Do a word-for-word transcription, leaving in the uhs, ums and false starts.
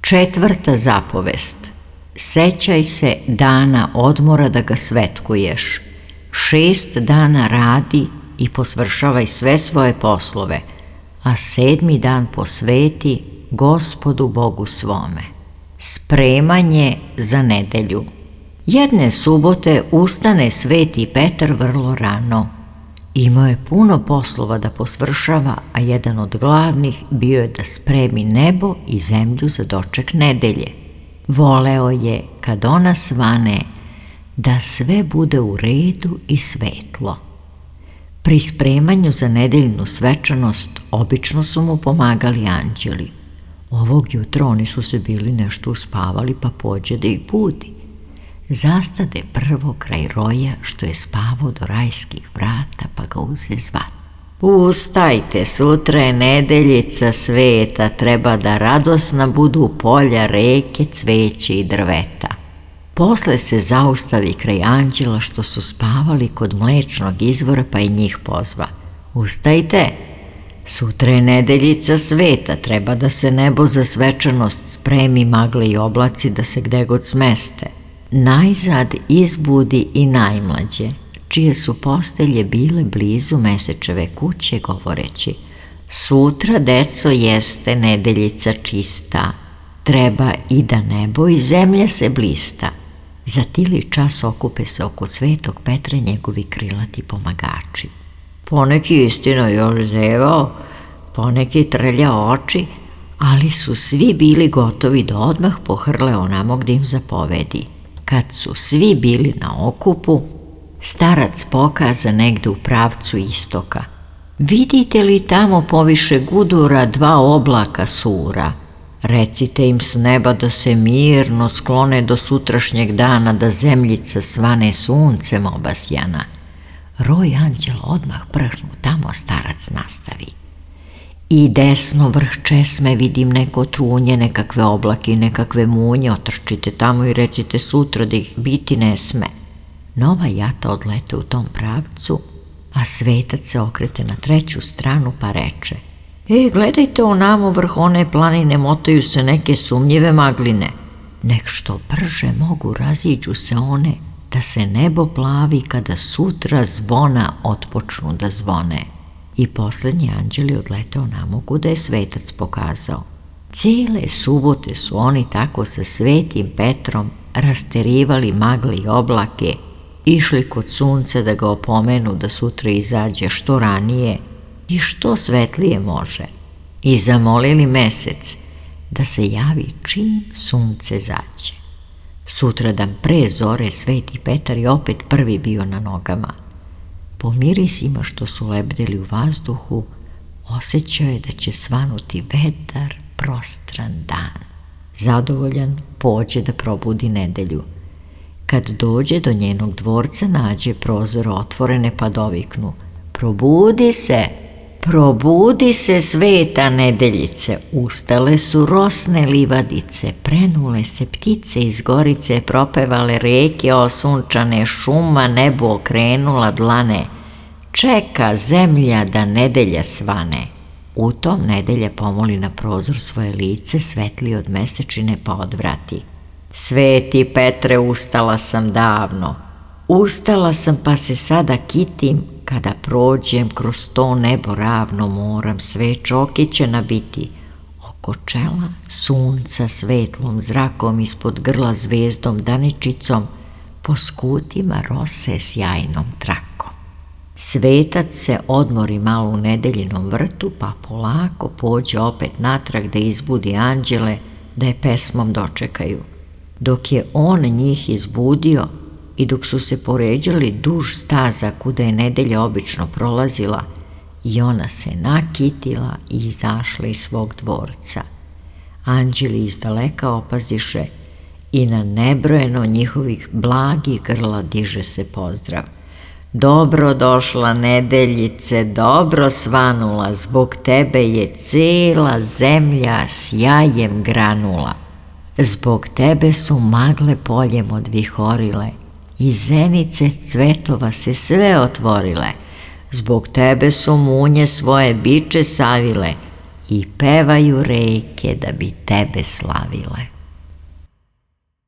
Četvrta zapovest. Sećaj se dana odmora da ga svetkuješ. Šest dana radi i posvršavaj sve svoje poslove, a sedmi dan posveti Gospodu Bogu svome. Spremanje za nedelju. Jedne subote ustane Sveti Petar vrlo rano. Imao je puno poslova da posvršava, a jedan od glavnih bio je da spremi nebo i zemlju za doček nedelje. Voleo je, kad ona svane, da sve bude u redu i svetlo. Pri spremanju za nedeljnu svečanost obično su mu pomagali anđeli. Ovog jutra oni su se bili nešto uspavali, pa pođe da ih budi. Zastade prvo kraj roja što je spavao do rajskih vrata, pa ga uze zvat. Ustajte, sutra je nedeljica sveta, treba da radosna budu polja, reke, cveće i drveta. Posle se zaustavi kraj anđela što su spavali kod mlečnog izvora, pa i njih pozva. Ustajte, sutra je nedeljica sveta, treba da se nebo za svečanost spremi, magle i oblaci da se gde god smeste. Najzad izbudi i najmlađe, čije su postelje bile blizu Mesečeve kuće, govoreći: sutra, deco, jeste nedeljica čista, treba i da nebo i zemlja se blista. Za tili čas okupe se oko Svetog Petra njegovi krilati pomagači. Poneki istina još zevao, poneki trlja oči, ali su svi bili gotovi da odmah pohrle onamo gde im zapovedi. Kad su svi bili na okupu, starac pokaza negde u pravcu istoka. Vidite li tamo poviše gudura dva oblaka sura? Recite im s neba da se mirno sklone do sutrašnjeg dana, da zemljica svane suncem obasjana. Roj anđela odmah prhnu, tamo starac nastavi. I desno vrh česme vidim neko trunje, nekakve oblake i nekakve munje, otrčite tamo i recite sutra da ih biti ne sme. Nova jata odlete u tom pravcu, a svetac se okrete na treću stranu pa reče: E, gledajte onamo vrh one planine, motaju se neke sumnjive magline. Nek što brže mogu raziđu se one, da se nebo plavi kada sutra zvona otpočnu da zvone. I poslednji anđeli odletao namo kuda je svetac pokazao. Cijele subote su oni tako sa Svetim Petrom rasterivali magle i oblake, išli kod sunca da ga opomenu da sutra izađe što ranije i što svetlije može, i zamolili mesec da se javi čim sunce zađe. Sutradan pre zore Sveti Petar je opet prvi bio na nogama. Po mirisima što su lebdeli u vazduhu, osjećao je da će svanuti vedar, prostran dan. Zadovoljan pođe da probudi nedelju. Kad dođe do njenog dvorca, nađe prozor otvorene pa doviknu: probudi se, probudi se, sveta nedeljice. Ustale su rosne livadice, prenule se ptice iz gorice, propevale reke osunčane, šuma nebo okrenula dlane. Čeka zemlja da nedelja svane. U tom nedelja pomoli na prozor svoje lice, svetli od mesečine, pa odvrati: Sveti Petre, ustala sam davno. Ustala sam pa se sada kitim, kada prođem kroz to nebo ravno, moram sve čokiće nabiti. Oko čela sunca svetlom zrakom, ispod grla zvezdom daničicom, po skutima rose sjajnom trakom. Svetac se odmori malo u nedeljinom vrtu, pa polako pođe opet natrag da izbudi anđele, da je pesmom dočekaju. Dok je on njih izbudio i dok su se poređali duž staza kuda je nedelja obično prolazila, i ona se nakitila i izašla iz svog dvorca. Anđeli izdaleka opaziše i na nebrojeno njihovih blagih grla diže se pozdrav: dobro došla nedeljice, dobro svanula, zbog tebe je cela zemlja sjajem granula. Zbog tebe su magle poljem odvihorile i zenice cvetova se sve otvorile. Zbog tebe su munje svoje biče savile i pevaju reke da bi tebe slavile.